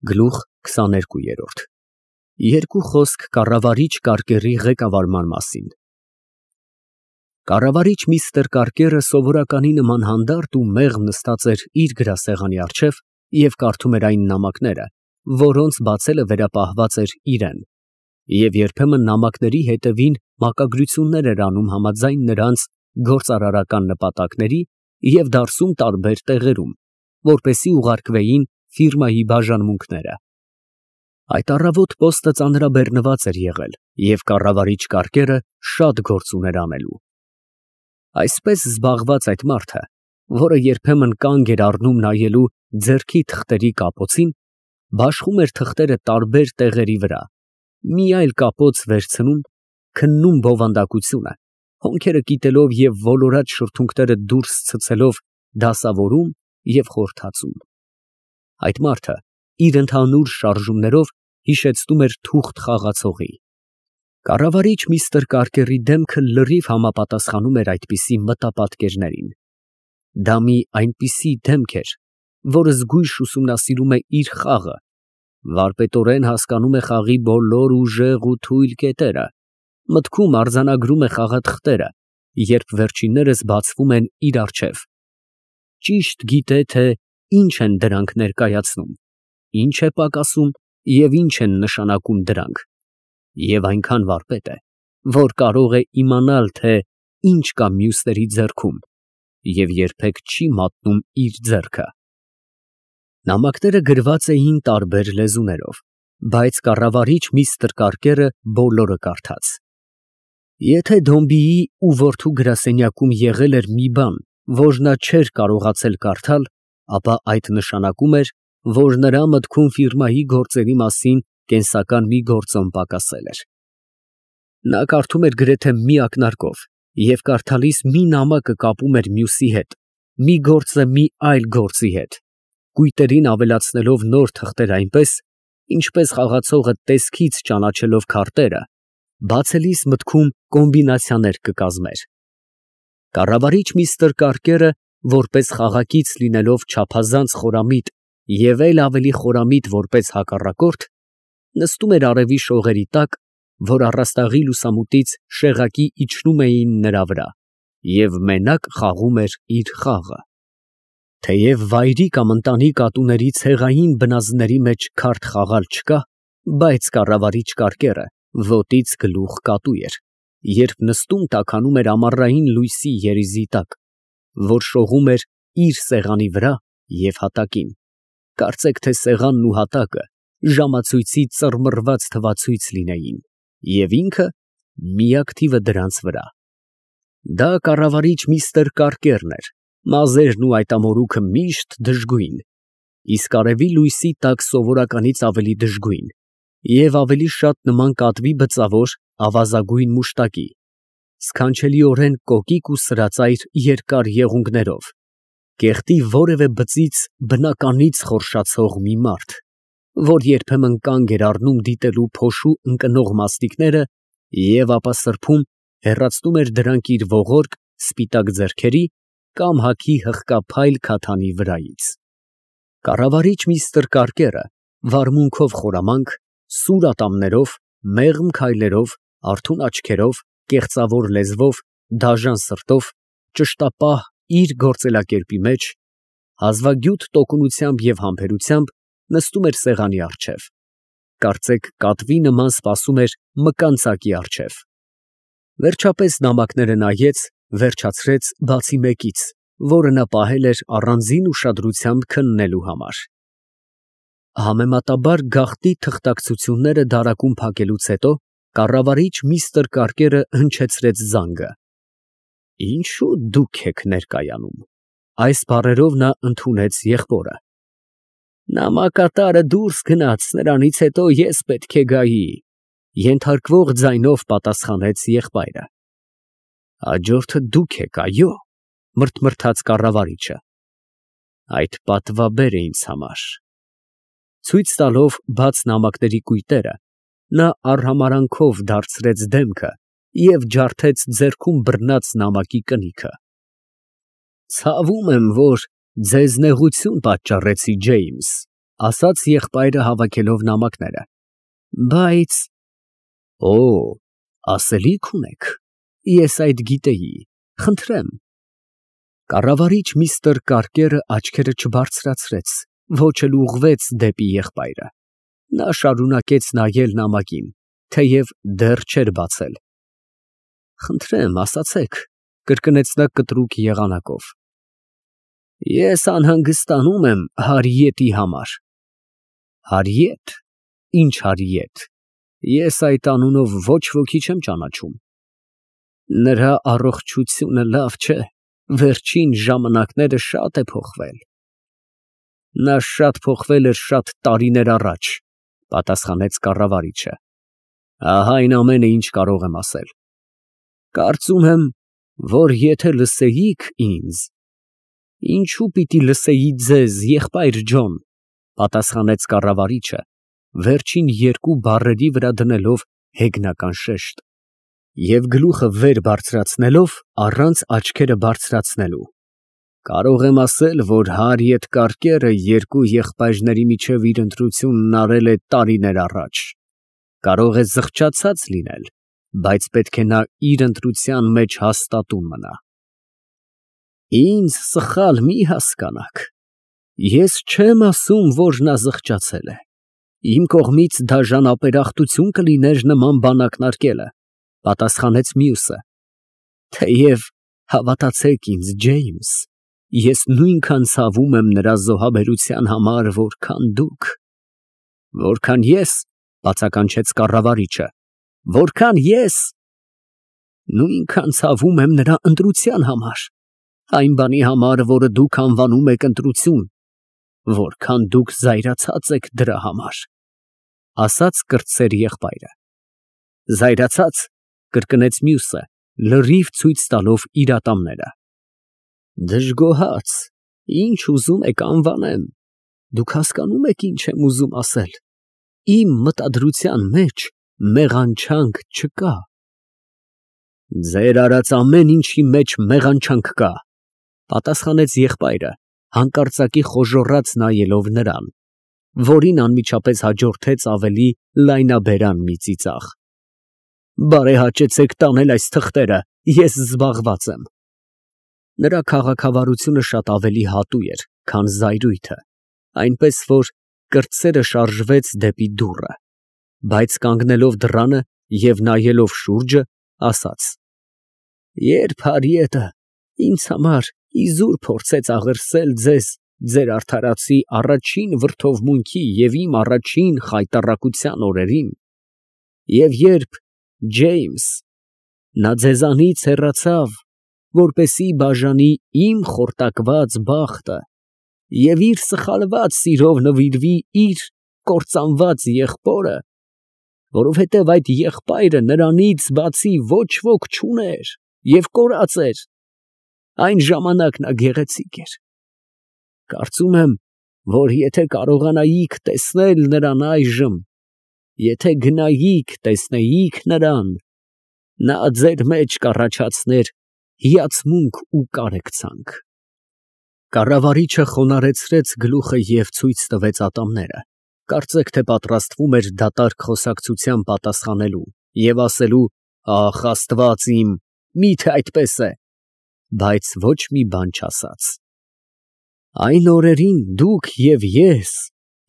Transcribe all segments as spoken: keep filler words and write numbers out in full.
Գլուխ քսաներկու։ Երկու խոսք կառավարիչ Կարկերի ղեկավարման մասին։ Կառավարիչ միստր Կարկերը սովորականի նման հանդարտ ու մեղմ նստած էր իր գրասեղանի առջև և կարդում էր այն նամակները, որոնց բացելը վերապահված էր իրան, և երբեմն նամակների հետևին մակագրություններ էր անում համաձայն նրանց գործարարական նպատակների և դարսում տարբեր տեղերում, որպեսզի ուղարկվեին ֆիրմայի բաժանմունքները։ Այդ առավոտ պոստը ծանրաբեռնված էր եղել, և կառավարիչ Կարկերը շատ գործ ուներ անելու։ Այսպես զբաղված այդ մարդը, որը երբեմն կանգ էր առնում նայելու ձեռքի թղթերի կապոցին, բաշխում էր թղթերը տարբեր տեղերի վրա, մի այլ կապոց վերցնում, քննում բովանդակությունը, հոնքերը կիտելով և ոլորած շրթունքները դուրս ցցելով դասավորում և խորթացում։ Այդ մարդը իր ընդհանուր շարժումներով հիշեցնում էր թուղթ խաղացողի։ Կառավարիչ միստր Կարկերի դեմքը լրիվ համապատասխանում էր այդպիսի մտապատկերներին։ Դա մի այնպիսի դեմք էր, որը զգույշ ուսումնասիրում է իր խաղը, վարպետորեն հասկանում է խաղի բոլոր ուժեղ ու թույլ կետերը, մտքում արձանագրում է խաղաթղթերը, երբ վերջիններս բացվում են իր առջև, ճիշտ գիտե, թե ինչ են դրանք ներկայացնում, ինչ է պակասում և ինչ են նշանակում դրանք, և այնքան վարպետ է, որ կարող է իմանալ, թե ինչ կա մյուսների ձեռքում և երբեք չի մատնում իր ձեռքը։ Նամակները գրված էին տարբեր լեզուներով, բայց կառավարիչ միստր Կարկերը բոլորը կարդաց։ Եթե Դոմբիի ու որդու գրասենյակում եղել էր մի բան, որ նա չէր կարողացել կարդալ, ապա այդ նշանակում էր, որ նրա մտքում ֆիրմայի գործերի մասին կենսական մի գործոն պակասել էր։ Նա կարդում էր գրեթե մի ակնարկով և կարդալիս մի նամակը կապում էր մյուսի հետ, մի գործը մի այլ գործի հետ, կույտերին ավելացնելով նոր թղթեր այնպես, ինչպես խաղացողը տեսքից ճանաչելով քարտերը, բացելիս մտքում կոմբինացիաներ կկազմեր։ Կառավարիչ միստր Կարկերը, որպես խաղակից լինելով չափազանց խորամիտ և էլ ավելի խորամիտ որպես հակառակորդ, նստում էր արևի շողերի տակ, որ առաստաղի լուսամուտից շեղակի իջնում էին նրա վրա, և մենակ խաղում էր իր խաղը։ Թեև վայրի կամ ընտանի կատուների ցեղային բնազդների մեջ քարտ խաղալ չկա, բայց կառավարիչ Կարկերը ոտից գլուխ կատու էր, երբ նստում տաքանում էր ամառային լույսի երիզի տակ, որ շողում էր իր սեղանի վրա և հատակին, կարծեք թե սեղանն ու հատակը ժամացույցի ծռմռված թվացույց լինեին, և ինքը միակ թիվը դրանց վրա։ Դա կառավարիչ միստր Կարկերն էր, մազերն ու այդ ամորուքը միշտ դժգույն, իսկ արևի լույսի տակ սովորականից ավելի դժգույն և ավելի շատ նման կատվի բծավոր ավազագույն մուշտակի, սքանչելիորեն կոկիկ ու սրածայր երկար եղունգներով, կեղտի որևէ բծից բնականից խորշացող մի մարդ, որ երբեմն կանգ էր առնում դիտելու փոշու ընկնող մասնիկները և ապա սրբում, հեռացնում էր դրանք իր ողորկ, սպիտակ ձեռքերի կամ հագի հղկափայլ քաթանի վրայից։ Կառավարիչ միստր Կարկերը վարմունքով խորամանկ, սուր ատամներով, մեղմ քայլերով, արթուն աչքերով, կեղծավոր լեզվով, դաժան սրտով, ճշտապահ իր գործելակերպի մեջ, հազվագյուտ տոկունությամբ և համբերությամբ նստում էր սեղանի առջև, կարծեք կատվի նման սպասում էր մկանծակի առջև։ Վերջապես նամակները նայեց, վերջացրեց բացի մեկից, որը նա պահել էր առանձին ուշադրությամբ քննելու համար։ Համեմատաբար գաղտնի թղթակցությունները դարակում փակելուց հետո կառավարիչ միստր Կարկերը հնչեցրեց զանգը։ Ինչո՞ւ դուք եք ներկայանում։ Այս բառերով նա ընդունեց եղբորը։ Նամակատարը դուրս գնաց, նրանից հետո ես պետք է գայի, ենթարկվող ձայնով պատասխանեց եղբայրը։ Հաջորդը դուք եք, այո, մրթմրթաց կառավարիչը։ Այդ պատվաբեր է ինձ համար։ Ցույց տալով բաց նամակների կույտերը, նա արհամարհանքով դարձրեց դեմքը և ջարդեց ձեռքում բռնած նամակի կնիքը։ Ցավում եմ, որ ձեզ նեղություն պատճառեցի, Ջեյմս, ասաց եղբայրը հավաքելով նամակները։ Բայց… Օ, ասելիք ունեք, ես այդ գիտեի, խնդրեմ։ Կառավարիչ միստր Կարկերը աչքերը չբարձրացրեց, ոչ էլ ուղղվեց դեպի եղբայրը։ Նա շարունակեց նայել նամակին, թեև դեռ չէր բացել։ Խնդրեմ, ասացեք, կրկնեց նա կտրուկ եղանակով։ Ես անհանգստանում եմ Հարիետի համար։ Հարիետ, ինչ Հարիետ, ես այդ անունով ոչ ոքի չեմ ճանաչում։ Նրա առողջությունը լավ չէ, վերջին ժամանակները շատ է փոխվել։ Նա շատ փոխվել էր շատ տարիներ առաջ, պատասխանեց կառավարիչը։ Ահա այն ամենը, ինչ կարող եմ ասել։ Կարծում եմ, որ եթե լսեիք ինձ… Ինչու պիտի լսեի ձեզ, եղբայր Ջոն, պատասխանեց կառավարիչը, վերջին երկու բառերի վրա դնելով հեգնական շեշտ և գլուխը վեր բարձրացնելով առանց աչքերը բարձրացնելու։ Կարող եմ ասել, որ Հարիետ Կարկերը երկու եղբայրների միջև իր ընտրությունն արել է տարիներ առաջ։ Կարող է զղջացած լինել, բայց պետք է նա իր ընտրության մեջ հաստատուն մնա։ Ինձ սխալ մի հասկանաք, ես չեմ ասում, որ նա զղջացել է։ Իմ կողմից դաժան ապերախտություն կլիներ նման բան ակնարկելը, պատասխանեց մյուսը։ Թեև հավատացեք ինձ, Ջեյմս, ես նույնքան ցավում եմ նրա զոհաբերության համար, որքան դուք։ Որքան ես, բացականչեց կառավարիչը, որքան ես… Նույնքան ցավում եմ նրա ընտրության համար, այն բանի համար, որը դուք անվանում եք ընտրություն, որքան դուք զայրացած եք դրա համար, ասաց կրտսեր եղբայրը։ Զայրացած, կրկնեց մյուսը, լրիվ ցույց տալով իր ատամները։ Դժգոհած, ինչ ուզում եք անվանեմ, դուք հասկանում եք ինչ եմ ուզում ասել, իմ մտադրության մեջ մեղանչանք չկա։ Ձեր արած ամեն ինչի մեջ մեղանչանք կա, պատասխանեց եղբայրը, հանկարծակի խոժոռաց նայելով նրան, որին անմիջապես հաջորդեց ավելի լայնաբերան մի ծիծաղ։ Բարեհաճեցեք տանել այս թղթերը, ես զբաղված եմ։ Նրա քաղաքավարությունը շատ ավելի հատուկ էր, քան զայրույթը, այնպես որ կրտսերը շարժվեց դեպի դուռը, բայց կանգնելով դռանը և նայելով շուրջը, ասաց. Երբ Հարիետը ինձ համար իզուր փորձեց աղերսել ձեզ ձեր արդարացի առաջին վրդովմունքի և իմ առաջին խայտառակության օրերին, և երբ, Ջեյմս, նա ձեզանից հեռացավ, որպեսզի բաժանի իմ խորտակված բախտը և իր սխալված սիրով նվիրվի իր կործանված եղբորը, որովհետև այդ եղբայրը նրանից բացի ոչ ոք չուներ և կորած էր, այն ժամանակ նա գեղեցիկ էր։ Կարծում եմ, որ եթե կարողանայիք տեսնել նրան այժմ, եթե գնայիք տեսնեիք նրան, նա ձեր մեջ կառաջացներ հիացմունք ու կարեկցանք։ Կառավարիչը խոնարհեցրեց գլուխը և ցույց տվեց ատամները, կարծեք թե պատրաստվում էր դատարկ խոսակցության պատասխանելու և ասելու. «Ախ, Աստված իմ, մի՞թե այդպես է», բայց ոչ մի բան չասաց։ Այն օրերին դուք և ես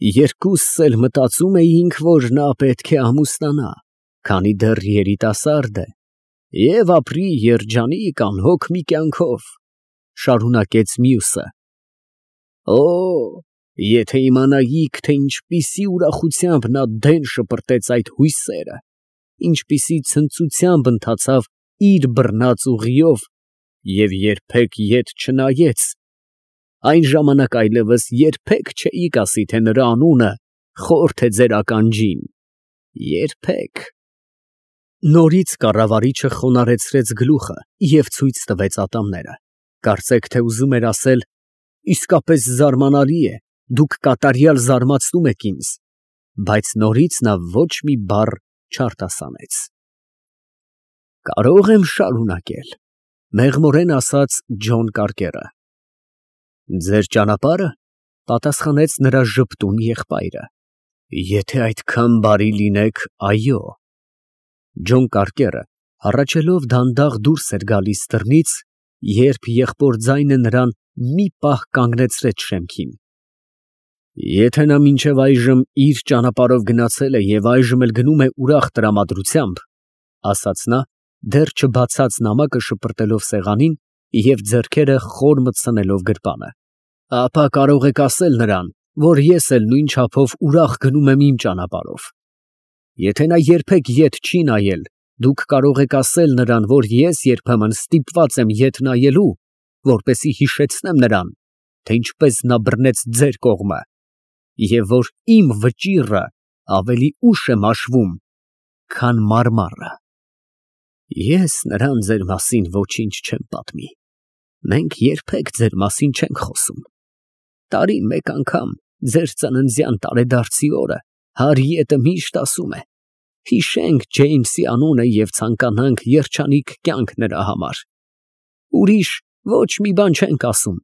երկուսս էլ մտածում էինք, որ նա պետք է ամուսնանա, քանի դեռ երիտասարդ է, և ապրի երջանիկ անհոգ մի կյանքով, շարունակեց մյուսը։ Օ, եթե իմանայիք, թե ինչպիսի ուրախությամբ նա դեն շպրտեց այդ հույսերը, ինչպիսի ցնծությամբ ընթացավ իր բռնած ուղիով և երբեք ետ չնայեց, այն ժամանակ այլևս երբեք չէիք ասի, թե նրա անունը խորթ է ձեր ականջին, երբեք… Նորից կառավարիչը խոնարհեցրեց գլուխը և ցույց տվեց ատամները, կարծեք թե ուզում էր ասել. «Իսկապես զարմանալի է, դուք կատարյալ զարմացնում եք ինձ», բայց նորից նա ոչ մի բառ չարտասանեց։ Կարո՞ղ եմ շարունակել, մեղմորեն ասաց Ջոն Կարկերը։ Ձեր ճանապարհը, Պատասխանեց նրա ժպտուն եղբայրը։ Եթե այդքան բարի լինեք, այո։ Ջոն Կարկերը հառաչելով դանդաղ դուրս էր գալիս դռնից, երբ եղբոր ձայնը նրան մի պահ կանգնեցրեց շեմքին։ Եթե նա մինչև այժմ իր ճանապարհով գնացել է և այժմ էլ գնում է ուրախ տրամադրությամբ, ասաց նա, դեռ չբացած նամակը շպրտելով սեղանին և ձեռքերը խոր մտցնելով գրպանը, ապա կարող եք ասել նրան, որ ես էլ նույն չափով ուրախ գնում եմ իմ ճանապարհով։ Եթե նա երբեք ետ չի նայել, դուք կարող եք ասել նրան, որ ես երբեմն ստիպված եմ ետ նայելու, որպեսզի հիշեցնեմ նրան, թե ինչպես նա բռնեց ձեր կողմը, և որ իմ վճիռը ավելի ուշ է մաշվում, քան մարմառը։ Ես նրան ձեր մասին ոչինչ չեմ պատմի, մենք երբեք ձեր մասին չենք խոսում։ Տարին մեկ անգամ ձեր ծննդյան տարեդարձի օրը Հարիետը միշտ ասում է. հիշենք Ջեյմսի անունը և ցանկանանք երջանիկ կյանք նրա համար։ Ուրիշ ոչ մի բան չենք ասում։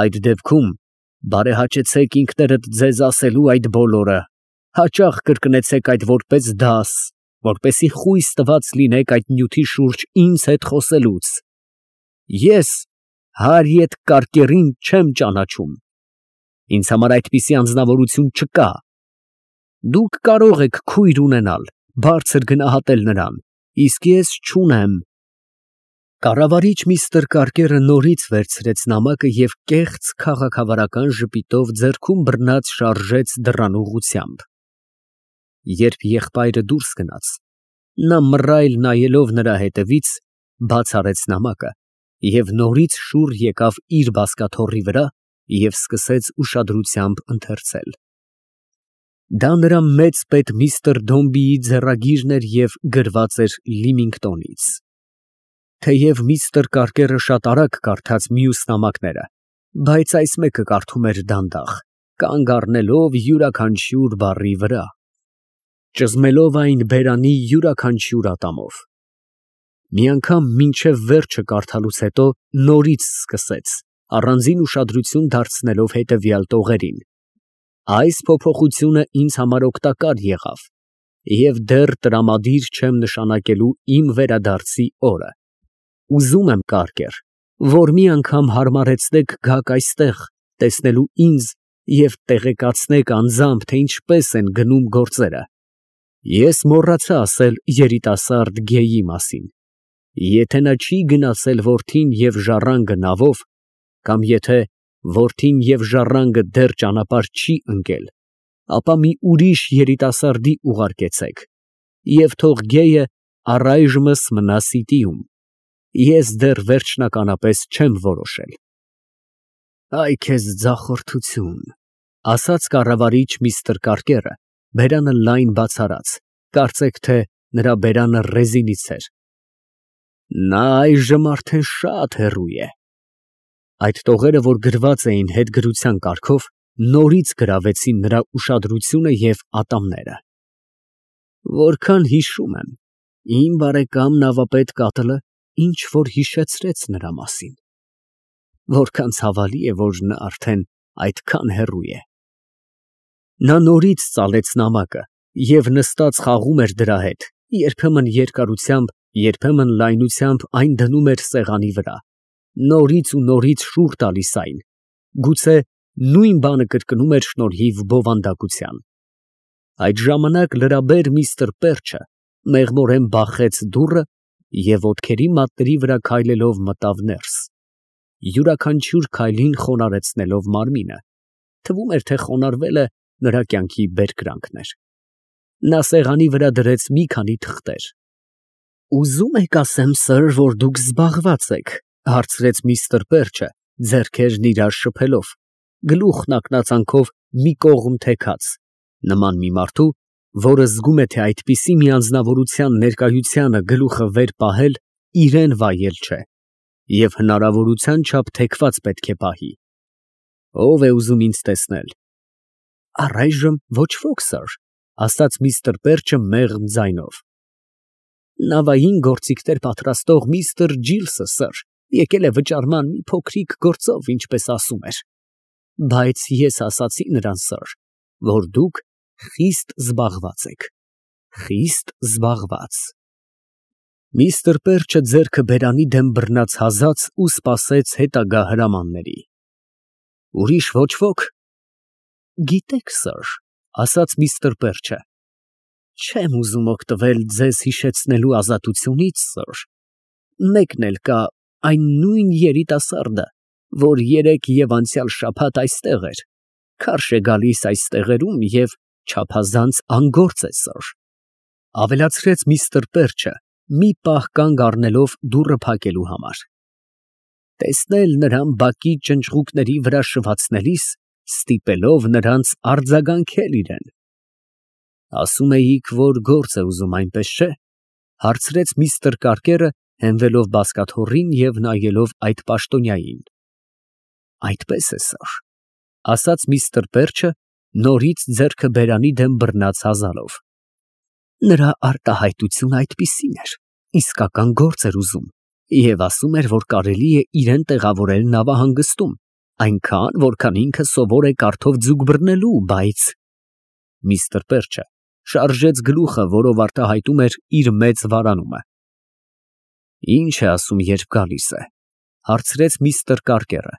Այդ դեպքում բարեհաճեցեք ինքներդ ձեզ ասելու այդ բոլորը, հաճախ կրկնեցեք այդ որպես դաս, որպեսզի խույս տված լինեք այդ նյութի շուրջ ինձ հետ խոսելուց։ Ես Հարիետ Կարկերին չեմ ճանաչում։ Ինձ համար այդպիսի անձնավորություն չկա։ Դուք կարող եք քույր ունենալ, բարձր գնահատել նրան, իսկ ես չունեմ։ Կառավարիչ միստր Կարկերը նորից վերցրեց նամակը և կեղծ քաղաքավարական ժպիտով ձեռքում բռնած շարժեց դռան ուղղությամբ։ Երբ եղբայրը դուրս գնաց, նա մռայլ նայելով նրա հետևից, բաց արեց նամակը և նորից շուռ եկավ իր բազկաթոռի վրա և սկսեց ուշադրությամբ ընթերցել։ Դա նրա մեծ պետ միստր Դոմբիի ձեռագիրն էր և գրված էր Լիմինգտոնից։ Թեև միստր Կարկերը շատ արագ կարդաց մյուս նամակները, բայց այս մեկը կարդում էր դանդաղ, կանգ առնելով յուրաքանչյուր բառի վրա, ճզմելով այն բերանի յուրաքանչյուր ատամով։ Մի անգամ մինչև վերջը կարդալուց հետո նորից սկսեց, առանձին ուշադրություն դարձնելով հետևյալ տողերին. Այս փոփոխությունը ինձ համար օգտակար եղավ և դեռ տրամադիր չեմ նշանակելու իմ վերադարձի օրը։ Ուզում եմ, Կարկեր, որ մի անգամ հարմարեցնեք գաք այստեղ տեսնելու ինձ և տեղեկացնեք անձամբ, թե ինչպես են գնում գործերը։ Ես մոռացա ասել երիտասարդ Գեյի մասին։ Եթե նա չի գնացել որդին և ժառանգը նավով, կամ եթե որդին և ժառանգը դեռ ճանապարհ չի ընկել, ապա մի ուրիշ երիտասարդի ուղարկեցեք և թող Գեյը առայժմս մնա Սիտիում։ Ես դեռ վերջնականապես չեմ որոշել։ Այ քեզ ձախորդություն, ասաց կառավարիչ միստր Կարկերը, բերանը լայն բաց արած, կարծեք թե նրա բերանը ռեզինից էր։ Նա այժմ արդեն շատ հեռու է։ Այդ տողերը, որ գրված էին հետգրության կարգով, նորից գրավեցին նրա ուշադրությունը և ատամները։ Որքան հիշում եմ, իմ բարեկամ նավապետ Կատլը ինչ որ հիշեցրեց նրա մասին։ Որքան ցավալի է, որ նա արդեն այդքան հեռու է։ Նա նորից ծալեց նամակը և նստած խաղում էր դրա հետ, երբեմն երկարությամբ, երբեմն լայնությամբ այն դնում էր սեղանի վրա, նորից ու նորից շուռ տալիս այն, գուցե նույն բանը կրկնում էր շնորհիվ բովանդակության։ Այդ ժամանակ լրաբեր միստր Պերչը մեղմորեն բախեց դուռը և ոտքերի մատների վրա քայլելով մտավ ներս, յուրաքանչյուր քայլին խոնարհեցնելով մարմինը, թվում էր, թե խոնարհվելը նրա կյանքի բերկրանքն էր։ Նա սեղանի վրա դրեց մի քանի թղթեր։ Ուզում եք ասեմ, սըր, որ դուք զբաղված եք, հարցրեց միստր Պերչը, ձեռքերն իրար շփելով, գլուխն ակնածանքով մի կողմ թեքած, նման մի մարդու, որը զգում է, թե այդպիսի մի անձնավորության ներկայությանը գլուխը վեր պահել իրան վայել չէ և հնարավորության չափ թեքված պետք է պահի։ Ո՞վ է ուզում ինձ տեսնել։ Առայժմ ոչ ոք, սըր, ասաց միստր Պերչը մեղմ ձայնով։ Նավային գործիքներ պատրաստող միստր Ջիլսը, սըր, եկել է վճարման մի փոքրիկ գործով, ինչպես ասում էր։ Բայց ես ասացի նրան, սըր, որ դուք խիստ զբաղված եք, խիստ զբաղված։ Միստր Պերչը ձեռքը բերանի դեմ բռնած հազաց ու սպասեց հետագա հրամանների։ Ուրիշ ոչ ոք։ Գիտեք, սըր, ասաց միստր Պերչը, չեմ ուզում օգտվել ձեզ հիշեցնելու ազատությունից, սըր, մեկն էլ կա, այն նույն երիտասարդը, որ երեկ և անցյալ շաբաթ այստեղ էր, քարշ է գալիս այս տեղերում և չափազանց անգործ է, սըր, ավելացրեց միստր Պերչը, մի պահ կանգ առնելով դուռը փակելու համար։ Տեսնել նրան բակի ճնճղուկների վրա շվացնելիս, ստիպելով նրանց արձագանքել իրան։ Ասում էիք, որ գործ է ուզում, այնպես չէ՞, հարցրեց միստր Կարկերը, հենվելով բազկաթոռին և նայելով այդ պաշտոնյային։ Այդպես է, սըր, ասաց միստր Պերչը, նորից ձեռքը բերանի դեմ բռնած հազալով։ Նրա արտահայտությունը այդպիսին էր, իսկական գործ էր ուզում, և ասում էր, որ կարելի է իրան տեղավորել նավահանգստում, այնքան, որքան ինքը սովոր է կարթով ձուկ բռնելու, բայց… Միստր Պերչը շարժեց գլուխը, որով արտահայտում էր իր մեծ վարանումը։ Ինչ է ասում, երբ գալիս է, հարցրեց միստր Կարկերը։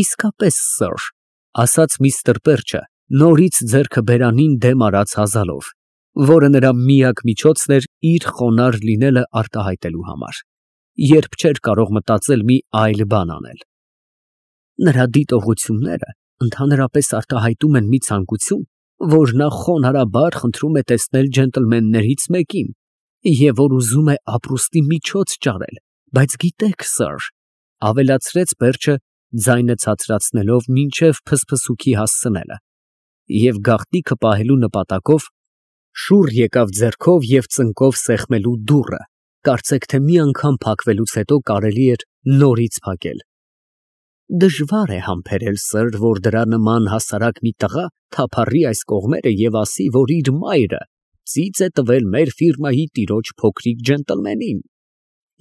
Իսկապես, սըր, ասաց միստր Պերչը, նորից ձեռքը բերանին դեմ արած հազալով, որը նրա միակ միջոցն էր իր խոնարհ լինելը արտահայտելու համար, երբ չէր կարող մտածել մի այլ բան անել։ Նրա դիտողությունները ընդհանրապես արտահայտում են մի ցանկություն, որ նա խոնարհաբար խնդրում է տեսնել ջենտլմեններից մեկին, և որ ուզում է ապրուստի միջոց ճարել, բայց գիտեք, սըր, ավելացրեց Պերչը, ձայնը ցածրացնելով մինչև փսփսուքի հասցնելը, և գաղտնիքը պահելու նպատակով շուռ եկավ ձեռքով և ծնկով սեղմելու դուռը, կարծեք թե մի անգամ փակվելուց հետո կարելի էր նորից փակել։ Դժվար է համբերել, սըր, որ դրա նման հասարակ մի տղա թափառի այս կողմերը և ասի, որ իր մայրը ծիծ է տվել մեր ֆիրմայի տիրոջ փոքրիկ ջենտլմենին,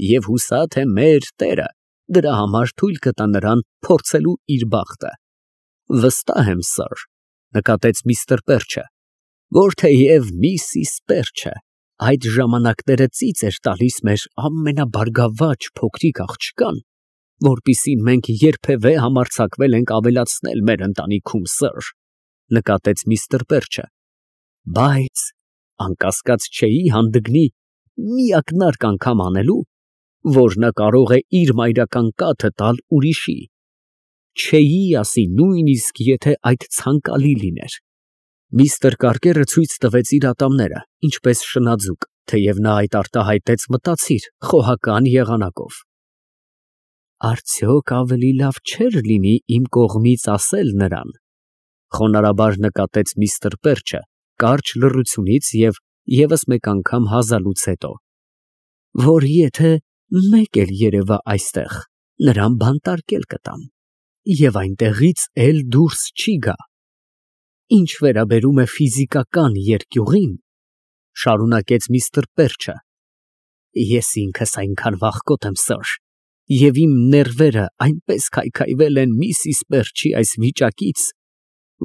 և հուսա թե մեր տերը դրա համար թույլ կտա նրան փորձելու իր բախտը։ Վստահ եմ, սըր, նկատեց միստր Պերչը, որ թեև միսիս Պերչը այդ ժամանակները ծիծ էր տալիս մեր ամենաբարգավաճ փոքրիկ աղջկան, որպեսզի մենք երբևէ համարձակվել ենք ավելացնել մեր ընտանիքում, սըր, նկատեց միստր Պերչը, բայց անկասկած չէի հանդգնի մի ակնարկ անգամ անելու, որ նա կարող է իր մայրական կաթը տալ ուրիշի, չէի ասի նույնիսկ, եթե այդ ցանկալի լիներ։ Միստր Կարկերը ցույց տվեց իր ատամները, ինչպես շնաձուկ, թեև նա այդ արտահայտեց մտածիր, խոհական եղանակով։ Արդյոք ավելի լավ չէր լինի իմ կողմից ասել նրան, խոնարհաբար նկատեց միստր Պերչը, կարճ լռությունից և ևս մեկ անգամ հազալուց հետո, որ եթե մեկ էլ երևա այստեղ, նրան բանտարկել կտամ, և այնտեղից էլ դուրս չի գա։ Ինչ վերաբերում է ֆիզիկական երկյուղին, շարունակեց միստր Պերչը, ես ինքս այնքան վախկոտ եմ, սըր, և իմ ներվերը այնպես քայքայվել են միսիս Պերչի այս վիճակից,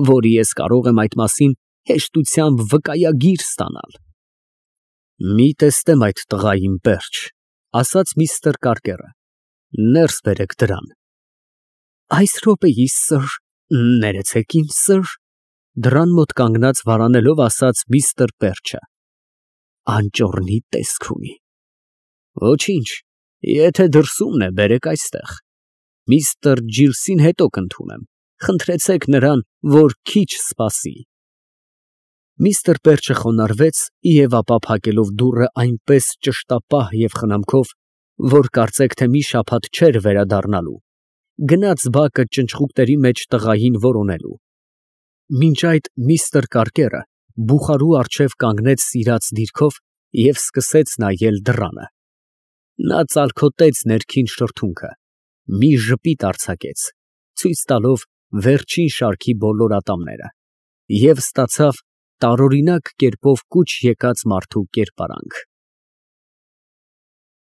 որ ես կարող եմ այդ մասին հեշտությամբ վկայագիր ստանալ։ Մի տեսնեմ այդ տղային, Պերչ, ասաց միստր Կարկերը, ներս բերեք դրան։ Այս րոպեիս, սըր, ներեցեք ինձ, սըր, դռան մոտ կանգնած վարանելով ասաց միստր Պերչը, անճոռնի տեսք ունի։ Ոչինչ, եթե դրսումն է, բերեք այստեղ, միստր Ջիլսին հետո կընդունեմ, խնդրեցեք նրան, որ քիչ սպասի։ Միստր Պերչը խոնարհվեց և ապա փակելով դուռը այնպես ճշտապահ և խնամքով, որ կարծեք թե մի շաբաթ չէր վերադառնալու, գնաց բակը ճնճղուկների մեջ տղային որոնելու։ Մինչ այդ միստր Կարկերը բուխարու առջև կանգնեց սիրած դիրքով և սկսեց նայել դռանը։ Նա ծալքոտեց ներքին շրթունքը, մի ժպիտ արձակեց, ցույց տալով վերջին շարքի բոլոր ատամները, և ստացավ տարօրինակ կերպով կուչ եկած մարդու կերպարանք։